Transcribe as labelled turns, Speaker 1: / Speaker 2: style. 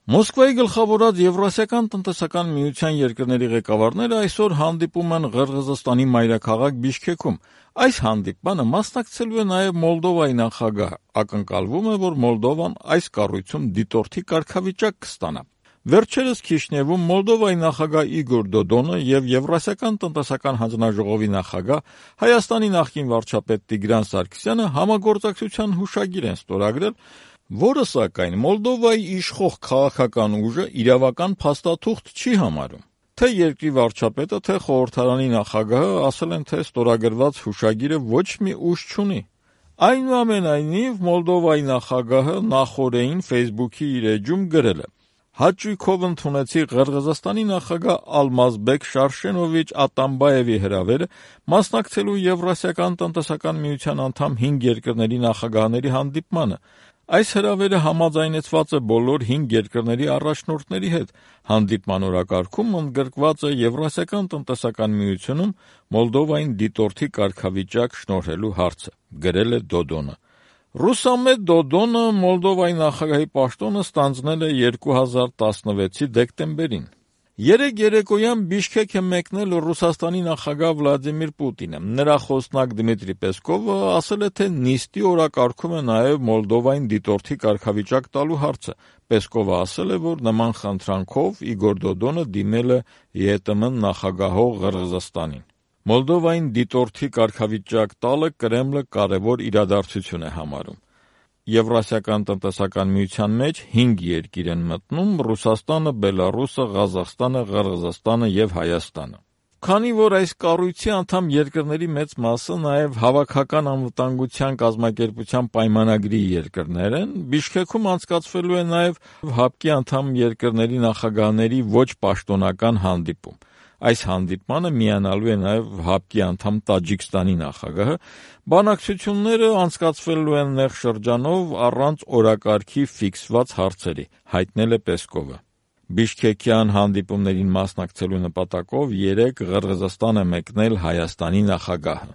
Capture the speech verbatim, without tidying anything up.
Speaker 1: Մոսկվայի գլխավորած Եվրասիական տնտեսական միության երկրների ղեկավարները այսօր հանդիպում են Ղրղըզստանի մայրաքաղաք Բիշքեքում։ Այս հանդիպմանը մասնակցելու է նաև Մոլդովայի նախագահը։ Ակնկալվում է, որ Մոլդովան այս կառույցում դիտորդի կարգավիճակ կստանա։ Վերջերս Քիշնևում Մոլդովայի նախագահ Իգոր Դոդոնը եւ Եվրասիական տնտեսական հանձնաժողովի նախագահ Հայաստանի նախկին վարչապետ Տիգրան Սարգսյանը համագործակցության հուշագիր են ստորագրել, որը սակայն Մոլդովայի իշխող քաղաքական ուժը իրավական փաստաթուղթ չի համարում։ Թե երկրի վարչապետը, թե խորհրդարանի նախագահը ասել են, թե ստորագրված հուշագիրը ոչ մի ուժ չունի։ Այնուամենայնիվ Մոլդովայի նախագահը նախօրեին Facebook-ի իր էջում գրել է. Հաճույքով ընդունեցի Ղրղըզստանի նախագահ Ալմազբեկ Շարշենովիչ Ատամբաևի հրավերը մասնակցելու Եվրասիական տնտեսական միության անդամ հինգ երկրների նախագահների հանդիպմանը։ Այս հրավերը համաձայնեցված է բոլոր հինգ երկրների առաջնորդների հետ։ Հանդիպման օրակարգում ընդգրկված է Եվրասիական տնտեսական միությունում Մոլդովային դիտորդի կարգավիճակ շնորհելու հարցը, գրել է Դոդոնը։ Ռուսամետ Դոդոնը Մոլդովայի նախագահի պաշտոնը ստանձնել է երկու հազար տասնվեցի դեկտեմբերին։ Երեկ երեկոյան Բիշքեք է մեկնել Ռուսաստանի նախագահ Վլադիմիր Պուտինը։ Նրա խոսնակ Դմիտրի Պեսկովը ասել է, թե նիստի օրակարգում է նաև Մոլդովային դիտորդի կարգավիճակ տալու հարցը։ Պեսկովը ասել է, որ նման խնդրանքով Իգոր Դոդոնը դիմել է ԵՏՄ նախագահող Ղրղըզստանին։ Մոլդովային դիտորդի կարգավիճակ տալը Կրեմլը կարևոր իրադարձություն է համարում։ Եվրասիական տնտեսական միության մեջ հինգ երկիր են մտնում՝ Ռուսաստանը, Բելառուսը, Ղազախստանը, Ղրղըզստանը եւ Հայաստանը։ Քանի որ այս կառույցի անդամ երկրների մեծ մասը նաև Հավաքական անվտանգության կազմակերպության պայմանագրի երկրներ են, Բիշքեքում անցկացվելու է նաև ՀԱՊԿ-ի անդամ երկրների նախագահների ոչ պաշտոնական հանդիպում։ Այս հանդիպմանը միանալու է նաև ՀԱՊԿ-ի անդամ Տաջիկստանի նախագահը։ Բանակցությունները անցկացվելու են նեղ շրջանով առանց օրակարգի ֆիքսված հարցերի, հայտնել է Պեսկովը։ Բիշքեկյան հանդիպումներին մասնակցելու նպատակով երեկ Ղրղըզստան է մեկնել Հայաստանի նախագահը։